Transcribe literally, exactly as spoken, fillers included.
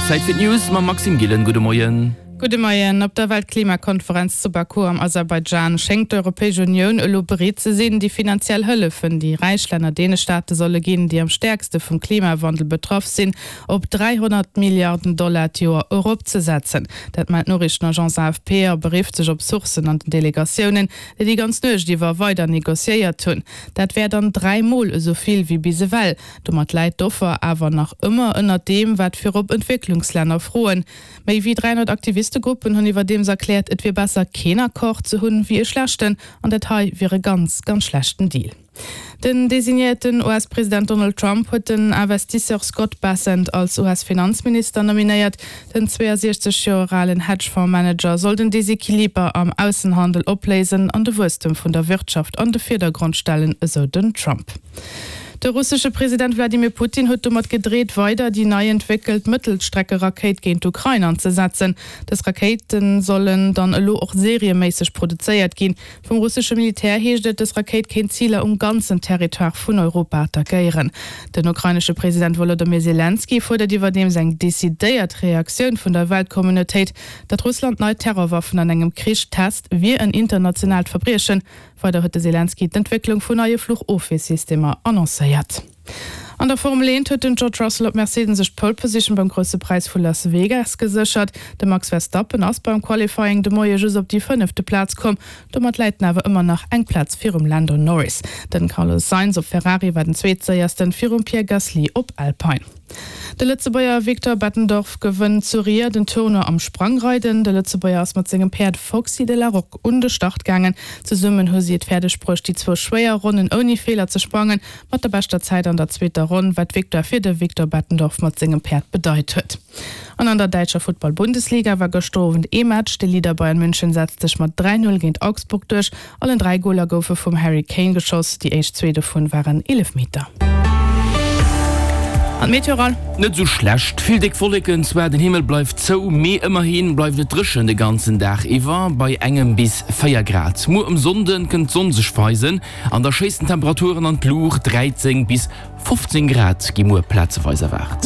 Zäit fir d'News mam Maxime Gillen. Gudde Moien. Gudde Moien. Op der Weltklimakonferenz zu Baku am Aserbaidschan schéngt d'Europäesch Unioun elo bereet ze sinn, déi finanziell Hëllefen, déi räich Länner deene Staate solle ginn, déi am stäerkste vum Klimawandel betraff sinn, op dräihonnert Milliarden Dollar d'Joer eropzesetzen. Dat mellt d'Noriichtenagence A F P a berifft sech op Sourcen an den Delegatiounen, déi déi ganz Nuecht iwwer weider negociéiert hunn. Dat wär dann dräi Mol esou vill wéi bis ewell. Domat läit d'Offer awer nach ëmmer ënnert deem, wat virop Entwécklungslänner froen. Méi wéi dräihonnert Aktivistegruppen hunn iwwerdeems erkläert, et wier besser keen Accord ze hunn, wéi e schlechten, an dat hei wier e ganz, ganz schlechten Deal. Den designéierten U S-President Donald Trump huet den Investisseur Scott Bessent als U S-Finanzminister nominéiert. Den zweeësiechzeg Joer alen Hedgefonds-Manager soll den Desequiliber am Aussenhandel opléisen an de Wuesstem vun der Wirtschaft an de Virdergrond stellen, esou den Trump. De russesche President Wladimir Putin huet domat gedreet, weider déi nei entwéckelt Mëttelstreckerakéit géint d'Ukrain anzesetzen. Dës Rakéite sollen dann elo och serieméisseg produzéiert ginn. Vum russesche Militär heescht et, dës Rakéit kéint Ziler um ganzen Territoire vun Europa attackéieren. Den ukrainesche President Wolodymyr Selenskyj fuerdert iwwerdeems eng decidéiert Reaktioun vun der Weltcommunautéit. Datt Russland nei Terrorwaffen an engem Krich test, wier en internationaalt Verbriechen. Weider huet de Selenskyj d'Entwécklung vun neie Fluchofwiersystemer annoncéiert. An der Formel eent huet den George Russell op Mercedes sech d'Pole Position beim Grousse Präis vu Las Vegas geséchert. De Max Verstappen ass beim Qualifying de Moie just op déi fënnefte Plaz komm. Domat läit en awer ëmmer nach eng Plaz virum Lando Norris. Den Carlos Sainz op Ferrari war den Zweetséiersten virum Pierre Gasly op Alpine. De Lëtzebuerger Victor Bettendorf gewënnt zu Ried den Tournoi am Sprangreiden. De Lëtzebuerger ass mat sengem Päerd Foxy de la Roque un de Start gaangen. Zesummen hu si et fäerdeg bruecht, déi zwou schwéier Ronnen ouni Feeler ze sprangen. Mat der beschter Zäit an der zweeter Ronn, wat d'Victoire fir de Victor Bettendorf mat sengem Päerd bedeit huet. An an der däitscher Futtball-Bundesliga war gëschter Owend ee Match. De Leader Bayern München setzt sech mat dräi Null géint Augsburg duerch. Allen dräi Goler goufe vum Harry Kane geschoss, déi éischt zwee dovun waren Eelefmeter. An d'Meteo? Net sou schlecht, vill déck Wolleken zwar, den Himmel bleift zou, mee ëmmerhi bleift et dréchen de ganzen Dag iwwer bei engem bis véier Grad. Muer um Sonnde kënnt d'Sonn sech weisen an da schéissen d'Temperaturen an d'Luucht, dräizéng bis fofzéng Grad gi muer plazeweis erwaart.